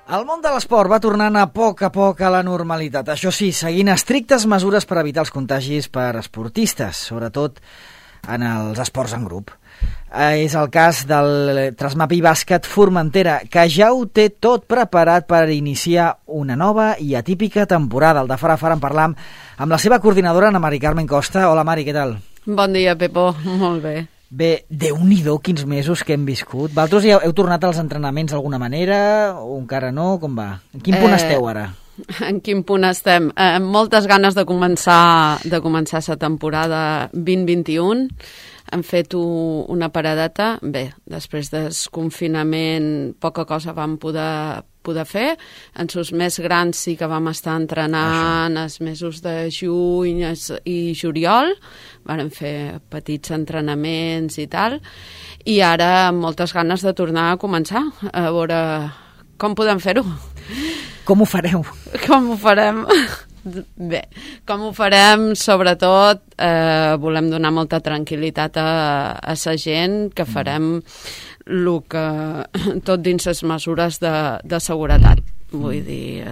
El món de l'esport va tornant a poc a la normalitat. Això sí, seguint estrictes mesures per evitar els contagis per esportistes, sobretot en els esports en grup. És el cas del Trasmapi Bàsquet Formentera, que ja ho té tot preparat per iniciar una nova i atípica temporada. El de fara a fara en parlam amb la seva coordinadora, Ana Mari Carmen Costa. Hola, Mari, què tal? Bon dia, Pepo. Molt bé. Bé, Déu-n'hi-do quins mesos que hem viscut. Vosaltres ja heu tornat als entrenaments d'alguna manera o encara no? Com va? En quin punt esteu ara? En quin punt estem? Amb moltes ganes de començar la temporada 2021. Hem fet una paradeta. Bé, després del confinament poca cosa vam poder fer. En els més grans sí que vam estar entrenant els mesos de juny i juliol. Vam fer petits entrenaments i tal. I ara amb moltes ganes de tornar a començar. A veure com podem fer-ho. Com ho fareu? Com ho farem? Bé, com ho farem, sobretot volem donar molta tranquil·litat a la gent, que farem tot dins les mesures de seguretat. Vull dir,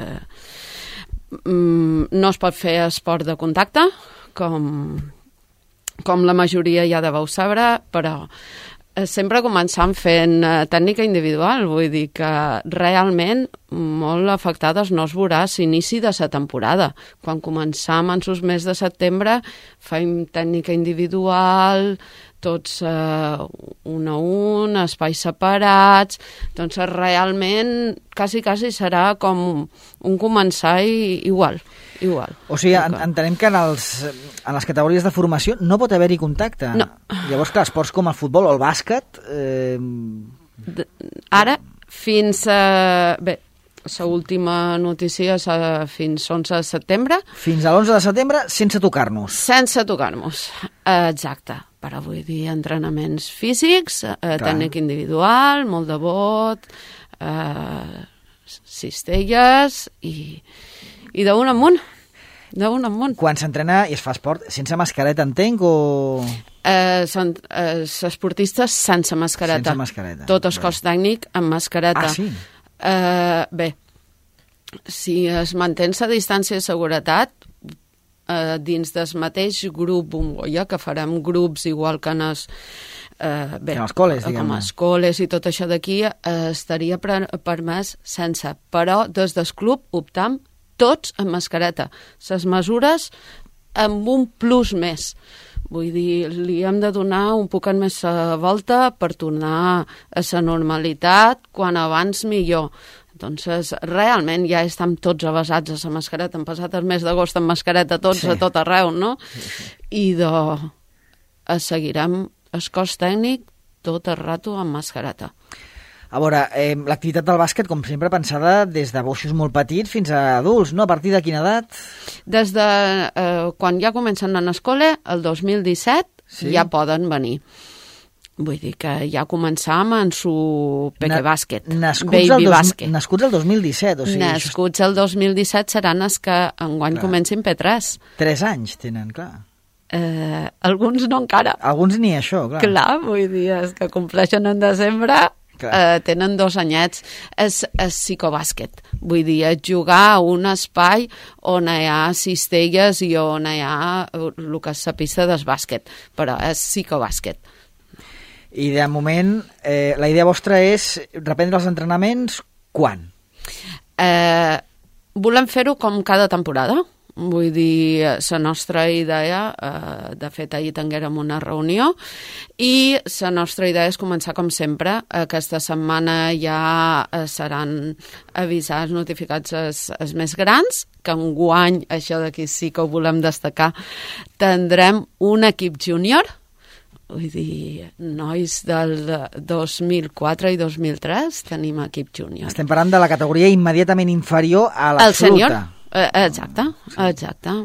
no es pot fer esport de contacte, com la majoria ja deveu saber, però sempre començant fent tècnica individual, vull dir que realment molt afectades no es veurà l'inici de la temporada. Quan començam en els mesos de setembre fem tècnica individual, tots un a un, espais separats, doncs realment quasi serà com un començar igual. O sigui, entenem que en les categories de formació no pot haver-hi contacte. No. Llavors, clar, esports com el futbol o el bàsquet... Ara, fins a... Bé, l'última notícia és fins 11 de setembre. Fins a l'11 de setembre sense tocar-nos. Sense tocar-nos, exacte. Però vull dir, entrenaments físics, tècnica individual, molt de bot, cistelles i d'un amunt. Quan s'entrena i es fa esport, sense mascareta, entenc, o...? Són esportistes sense mascareta. Sense mascareta. Tot el cos tècnic amb mascareta. Ah, sí? Bé, si es manté la distància de seguretat, dins del mateix grup bombolla, que farem grups igual que en els col·les, diguem-ne. Com els col·les i tot això d'aquí, estaria permès sense. Però des del club optam tots amb mascareta. Les mesures amb un plus més. Vull dir, li hem de donar un poquet més volta per tornar a la normalitat, quan abans millor. Doncs realment ja estem tots avasats a la mascareta. Hem passat el mes d'agost amb mascareta tots, sí, a tot arreu, no? I seguirem el cos tècnic tot el rato amb mascareta. A veure, l'activitat del bàsquet, com sempre, pensada des de boixos molt petits fins a adults, no? A partir de quina edat? Des de quan ja comencen a l'escola, el 2017, sí, ja poden venir. Vull dir que ja començam en su pequebàsquet, baby bàsquet. Nascuts el 2017, o sigui... Nascuts el 2017 seran els que enguany comencin P3. 3 anys tenen, clar. Alguns no encara. Alguns ni això, clar. Clar, vull dir, els que compleixen en desembre... tenen 2 anyets. És psicobàsquet, vull dir, jugar a un espai on hi ha cistelles i on hi ha el que és la pista del bàsquet, però és psicobàsquet. I de moment la idea vostra és reprendre els entrenaments quan? Volem fer-ho com cada temporada. Vull dir, la nostra idea, de fet ahir tinguérem una reunió, i la nostra idea és començar com sempre. Aquesta setmana ja seran avisats, notificats els més grans, que enguany, això d'aquí sí que ho volem destacar, tindrem un equip júnior, vull dir, nois del 2004 i 2003 tenim equip júnior. Estem parlant de la categoria immediatament inferior a l'absoluta. Exacte,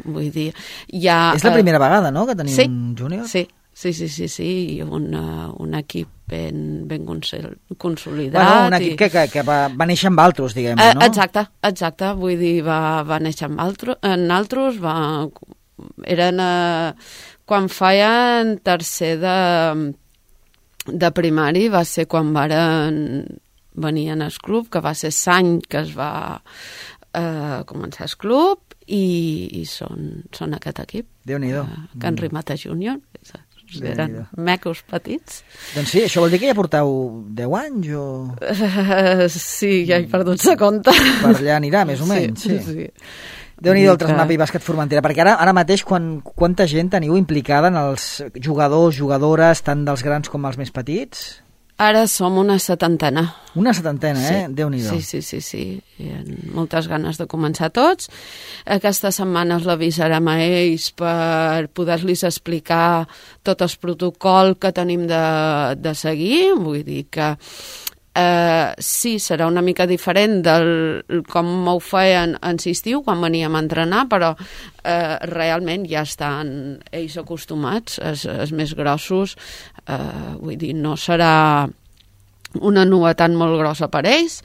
vull dir... És la primera vegada, no?, que tenim un júnior? Sí, i un equip ben consolidat. Bueno, un equip que va néixer amb altres, diguem-ne, no? Exacte, vull dir, va néixer en altres, eren... Quan feien tercer de primari va ser quan venien al club, que va ser l'any que es va començar el club, i són aquest equip. Déu-n'hi-do. Can Rimata Júnior. Eren mecos petits. Doncs sí, això vol dir que ja porteu 10 anys o... Sí, ja he perdut la compte. Per allà anirà, més o menys. Sí. Déu-n'hi-do el Trasmapa i Bàsquet Formentera, perquè ara mateix quanta gent teniu implicada en els jugadors, jugadores, tant dels grans com els més petits? Ara som una setantena. Una setantena, sí. Déu-n'hi-do. Sí. Hi ha moltes ganes de començar tots. Aquesta setmana els l'avisarem a ells per poder-los explicar tot el protocol que tenim de seguir. Vull dir que sí, serà una mica diferent del com ho feien en l'estiu, quan veníem a entrenar, però realment ja estan ells acostumats, els més grossos. Vull dir, no serà una novetat molt grossa per ells,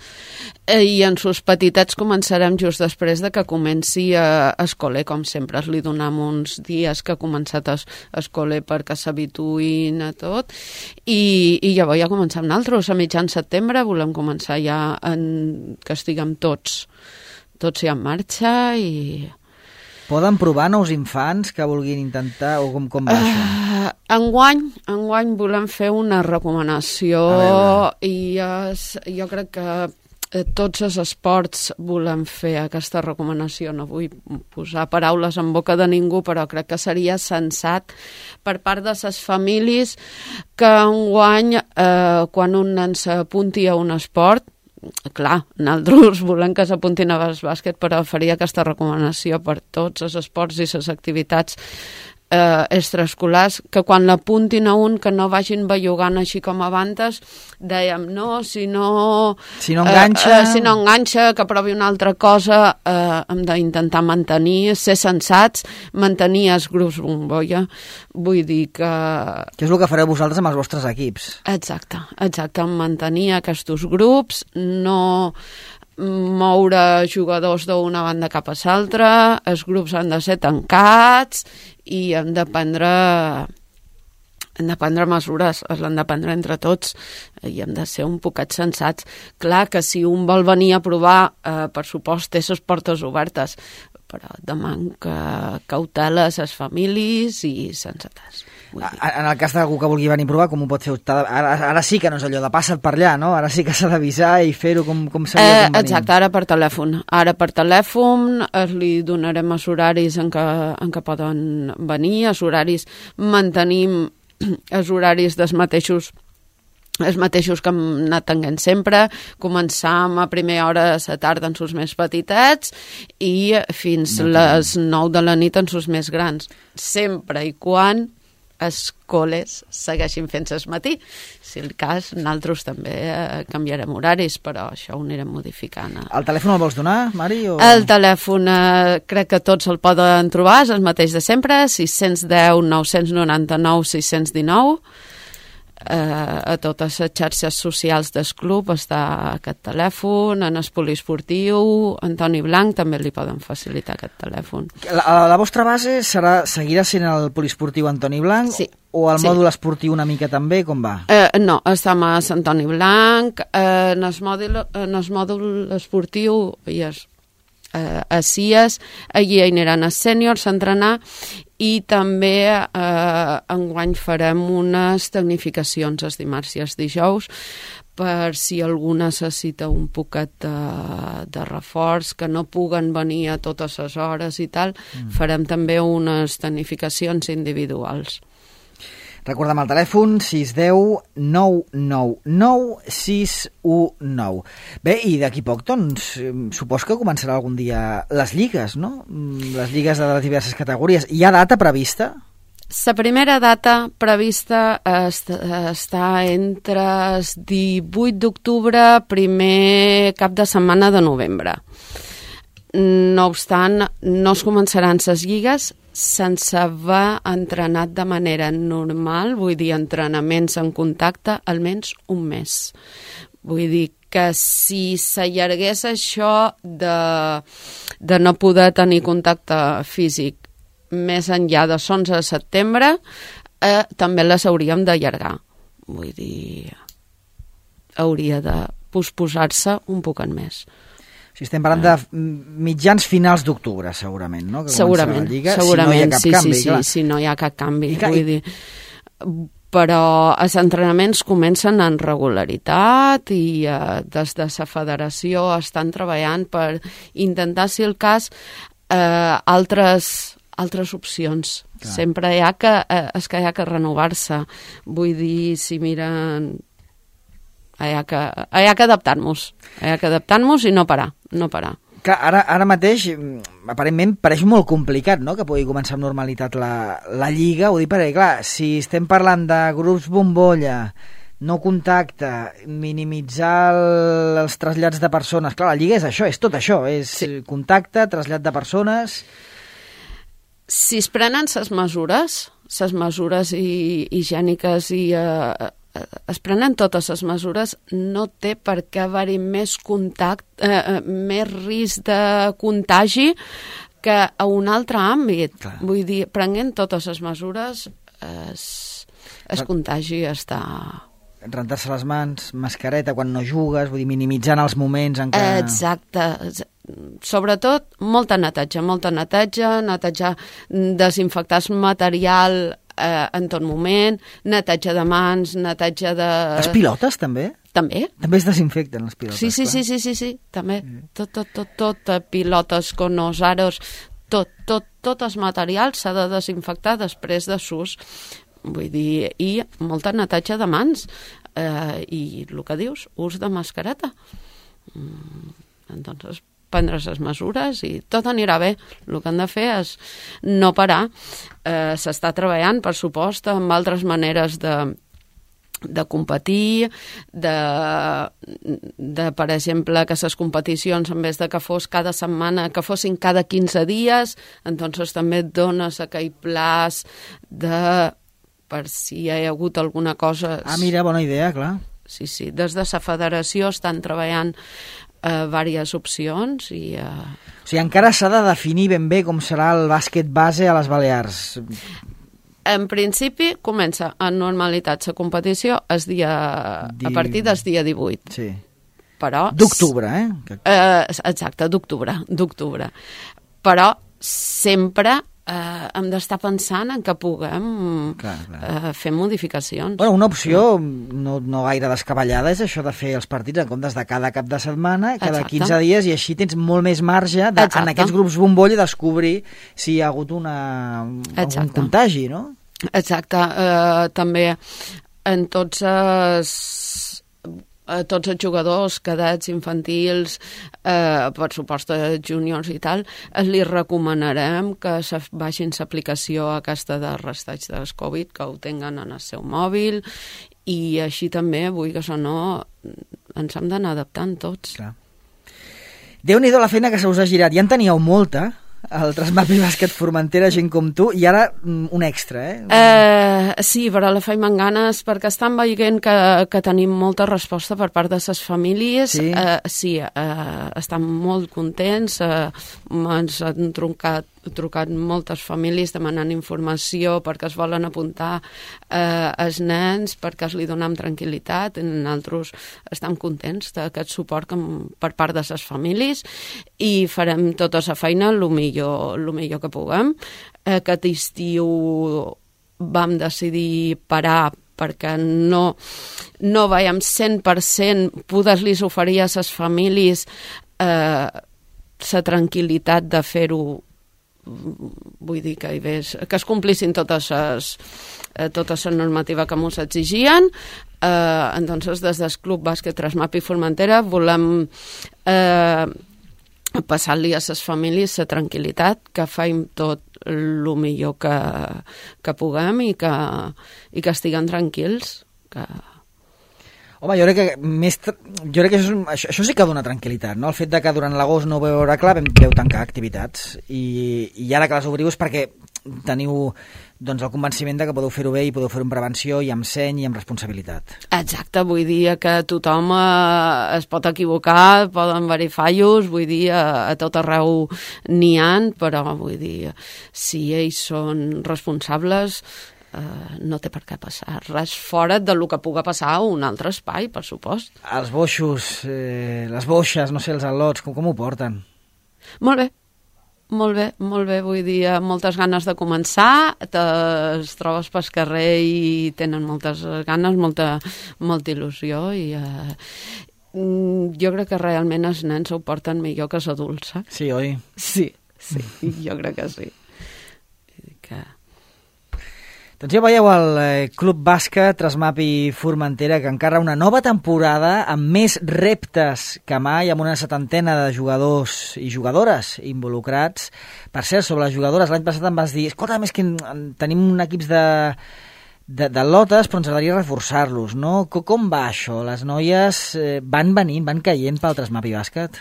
i en sus petitets començarem just després de que comenci escoler, com sempre li donem uns dies que ha començat escoler perquè s'habituïn a tot, i llavors ja comencem nosaltres a mitjan setembre, volem començar ja que estiguem tots ja en marxa. I poden provar nous infants que vulguin intentar, o com va això? Enguany volem fer una recomanació, i jo crec que tots els esports volem fer aquesta recomanació. No vull posar paraules en boca de ningú, però crec que seria sensat per part de les famílies que enguany, quan un nen s'apunti a un esport, clar, nosaltres volem que s'apuntin a bàsquet, però faria aquesta recomanació per tots els esports i les activitats extraescolars, que quan l'apuntin a un que no vagin bellugant així com abans, dèiem, no, si no enganxa, que provi una altra cosa. Hem d'intentar mantenir, ser sensats, mantenir els grups bombolla. Vull dir que és el que fareu vosaltres amb els vostres equips. Exacte, mantenir aquests grups, no moure jugadors d'una banda cap a l'altra, els grups han de ser tancats i hem de prendre mesures, l'hem de prendre entre tots i hem de ser un poquet sensats. Clar que si un vol venir a provar, per supost, té les portes obertes, però deman cautela a les famílies i sensates. En el cas d'algú que vulgui venir a provar, com ho pot fer? Ara sí que no és allò de passa't per allà, no? Ara sí que s'ha d'avisar i fer-ho com seria convenient. Exacte, ara per telèfon li donarem els horaris en què poden venir, els horaris, mantenim els horaris dels mateixos que hem anat tenint sempre. Començam a primera hora de la tarda en sus més petitets i fins les 9 de la nit en sus més grans, sempre i quan els col·les segueixin fent-se al matí. Si el cas, nosaltres també canviarem horaris, però això ho anirem modificant. El telèfon el vols donar, Mari? El telèfon crec que tots el poden trobar, és el mateix de sempre, 610 999 619. A totes les xarxes socials del club està aquest telèfon, en el poliesportiu, Antoni Blanc també li poden facilitar aquest telèfon. La vostra base seguirà sent el poliesportiu Antoni Blanc? Sí. O el mòdul esportiu una mica també, com va? No, estem a Antoni Blanc, en el mòdul esportiu i a CIES, allí aniran els sèniors a entrenar, i també enguany farem unes tecnificacions els dimarts i els dijous per si algú necessita un poquet de reforç, que no puguen venir a totes les hores i tal, farem també unes tecnificacions individuals. Recordem el telèfon 610 999 619. Bé, i d'aquí poc, doncs, supos que començarà algun dia les lligues, no? Les lligues de les diverses categories. Hi ha data prevista? La primera data prevista està entre el 18 d'octubre, primer cap de setmana de novembre. No obstant, no es començaran les lligues sense haver entrenat de manera normal, vull dir, entrenaments en contacte, almenys un mes. Vull dir que si s'allargués això de no poder tenir contacte físic més enllà de l'11 de setembre, també les hauríem d'allargar. Vull dir, hauria de posposar-se un poc en més. O sigui, estem parlant de mitjans finals d'octubre, segurament, no? Segurament, si no hi ha cap canvi. Vull dir, però els entrenaments comencen en regularitat i des de la federació estan treballant per intentar, si el cas, altres opcions. Clar. Sempre hi ha que renovar-se. Vull dir, si miren... Hi ha que adaptar-nos. Hi ha que adaptar-nos i no parar. Clar, ara mateix, aparentment, pareix molt complicat, no?, que pugui començar amb normalitat la Lliga. Ho dic perquè, clar, si estem parlant de grups bombolla, no contacte, minimitzar els trasllats de persones... Clar, la Lliga és això, és tot això, és contacte, trasllat de persones... Si es prenen les mesures higièniques i es prenen totes les mesures, no té per què haver-hi més més risc de contagi que a un altre àmbit. Clar. Vull dir, prenent totes les mesures, es contagi està... Rentar-se les mans, mascareta quan no jugues, vull dir, minimitzant els moments en què... Exacte. Sobretot, molta neteja, desinfectar el material en tot moment, neteja de mans, neteja de... Les pilotes, també? També. També es desinfecten, les pilotes. Sí, també. Tot, pilotes, conos, aros, tot el material s'ha de desinfectar després de s'ús. Vull dir, i molta neteja de mans. I el que dius, ús de mascareta. Entonces, prendre les mesures i tot anirà bé. El que han de fer és no parar. S'està treballant, per supost, amb altres maneres de competir, de per exemple, que les competicions, en vez de que fos cada setmana, que fossin cada 15 dies, entonces també et dones aquell plaç per si hi ha hagut alguna cosa... Ah, mira, bona idea, clar. Sí, des de la federació estan treballant diverses opcions i... O sigui, encara s'ha de definir ben bé com serà el bàsquet base a les Balears. En principi, comença en normalitat la competició a partir del dia 18. Sí. Però... D'octubre, exacte, d'octubre. Però sempre... hem d'estar pensant en que puguem fer modificacions. Bueno, una opció no gaire descabellada és això de fer els partits en comptes de cada cap de setmana, cada 15 dies, i així tens molt més marge en aquests grups bombolla descobrir si hi ha hagut un contagi, no? Exacte. També en tots els jugadors, cadets, infantils, per supost juniors i tal, li recomanarem que vagin l'aplicació aquesta de rastreig del Covid, que ho tinguen en el seu mòbil, i així també, vull que això no, ens hem d'anar adaptant tots. Clar. Déu-n'hi-do la feina que se us ha girat. Ja en teníeu molta, el Trasmapi Bàsquet Formentera, gent com tu, i ara un extra, sí, però la feim amb ganes, perquè estan veient que tenim molta resposta per part de les famílies. Sí, estan molt contents, ens han trucat moltes famílies demanant informació perquè es volen apuntar els nens, perquè es li donem tranquil·litat, i nosaltres estem contents d'aquest suport per part de les famílies, i farem tota la feina el millor que puguem. Aquest estiu vam decidir parar perquè no veiem 100% poder-los oferir a les famílies la tranquil·litat de fer-ho. Vull dir que es complissin tota la normativa que ens exigien. Entonces, des del Club Bàsquet Trasmapi Formentera volem passar-li a les famílies la tranquil·litat, que faim tot el millor que puguem i que estiguen tranquils. Home, jo crec que això sí que dona tranquil·litat, no? El fet de que durant l'agost no ho veu veure clar, veu tancar activitats, i ara que les obriu és perquè teniu el convenciment de que podeu fer-ho bé i podeu fer-ho amb prevenció i amb seny i amb responsabilitat. Exacte, vull dir que tothom es pot equivocar, poden haver-hi fallos, vull dir, a tot arreu n'hi ha, però vull dir, si ells són responsables, no té per què passar res fora del que puga passar a un altre espai, per supost. Els boixos, les boixes, no sé, els al·lots, com ho porten? Molt bé, vull dir, moltes ganes de començar, es trobes pel carrer i tenen moltes ganes, molta il·lusió i jo crec que realment els nens ho porten millor que els adults. Sí, oi? Sí, jo crec que sí. Doncs ja veieu el Club Bàsquet Trasmapi Formentera, que encara una nova temporada amb més reptes que mai, amb una 70 de jugadors i jugadores involucrats. Per cert, sobre les jugadores, l'any passat em vas dir, escolta, més que tenim un equips de lotes, però ens agradaria reforçar-los, no? Com va això? Les noies van venint, van caient pel Trasmapi Bàsquet?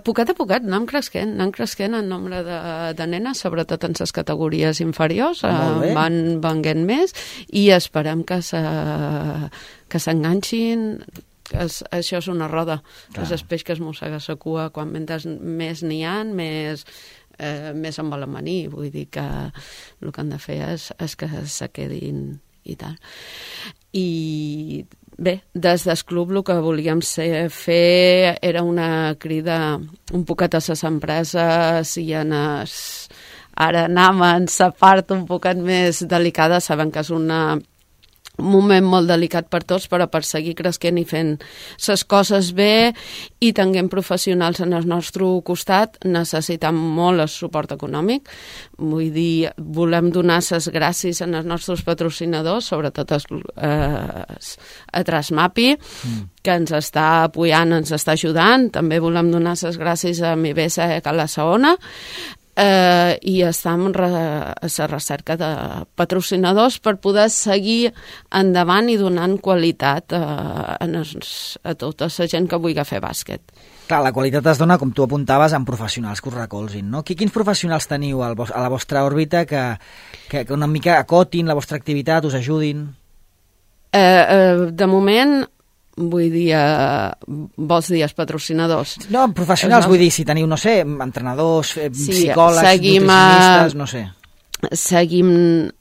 Poquet a poquet anem creixent en nombre de nenes, sobretot en les categories inferiors, van venguent més i esperem que s'enganxin. Això és una roda. És el peix que es mossega la cua, quan mentre més n'hi ha, més en volen venir. Vull dir que el que han de fer és que se quedin i tal. I bé, des del club el que volíem fer era una crida un poquet a les empreses i ara anem en la part un poquet més delicada, sabem que és un moment molt delicat per tots, però per seguir creixent i fent les coses bé i tenint professionals en el nostre costat necessitem molt el suport econòmic. Vull dir, volem donar les gràcies als nostres patrocinadors, sobretot a Trasmapi, que ens està apoyant, ens està ajudant. També volem donar les gràcies a Mibesa i a la Saona, i estem a la recerca de patrocinadors per poder seguir endavant i donant qualitat a tota la gent que vulgui fer bàsquet. Clar, la qualitat es dona, com tu apuntaves, amb professionals que us recolzin, no? Quins professionals teniu a la vostra òrbita que una mica acotin la vostra activitat, us ajudin? De moment, vull dir, vols dir els patrocinadors? No, professionals, vull dir, si teniu, no sé, entrenadors, psicòlegs, nutricionistes, no sé. Seguim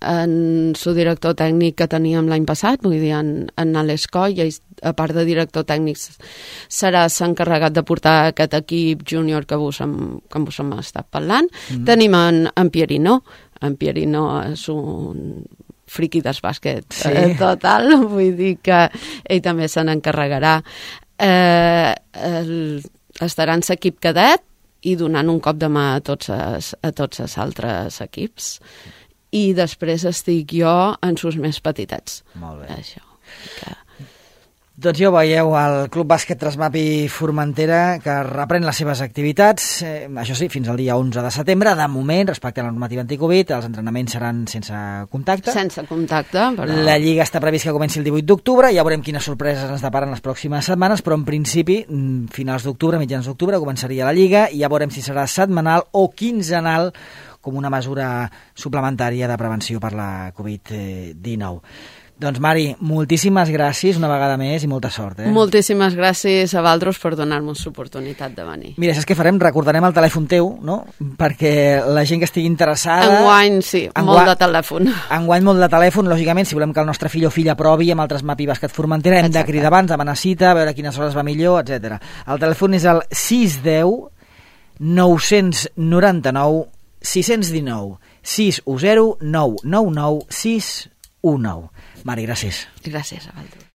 en el director tècnic que teníem l'any passat, vull dir, en Alex Coll, i a part de director tècnic serà s'encarregat de portar aquest equip júnior que vos hem estat parlant. Tenim en Pierino. En Pierino és un friqui del bàsquet total, vull dir que ell també se n'encarregarà. Estarà en l'equip cadet i donant un cop de mà a tots els altres equips. I després estic jo en sus més petitets. Molt bé. Això. Doncs ja ho veieu, el Club Bàsquet Trasmapi Formentera, que reprèn les seves activitats, això sí, fins al dia 11 de setembre. De moment, respecte a la normativa anticovid, els entrenaments seran sense contacte. Sense contacte, però... La Lliga està previst que comenci el 18 d'octubre, ja veurem quines sorpreses ens deparen les pròximes setmanes, però en principi, finals d'octubre, mitjans d'octubre, començaria la Lliga, i ja veurem si serà setmanal o quinzenal, com una mesura suplementària de prevenció per la Covid-19. Doncs, Mari, moltíssimes gràcies una vegada més i molta sort. Moltíssimes gràcies a vosaltres per donar-nos l'oportunitat de venir. Mira, saps què farem? Recordarem el telèfon teu, no? Perquè la gent que estigui interessada... Enguany, sí, molt de telèfon. Enguany molt de telèfon, lògicament, si volem que el nostre fill o filla provi amb el Trasmapi Bàsquet Formentera, hem de cridar abans, demanar cita, veure quines hores va millor, etc. El telèfon és el 610 999 619 610 999 619. Mari, gràcies. Gràcies a vosaltres.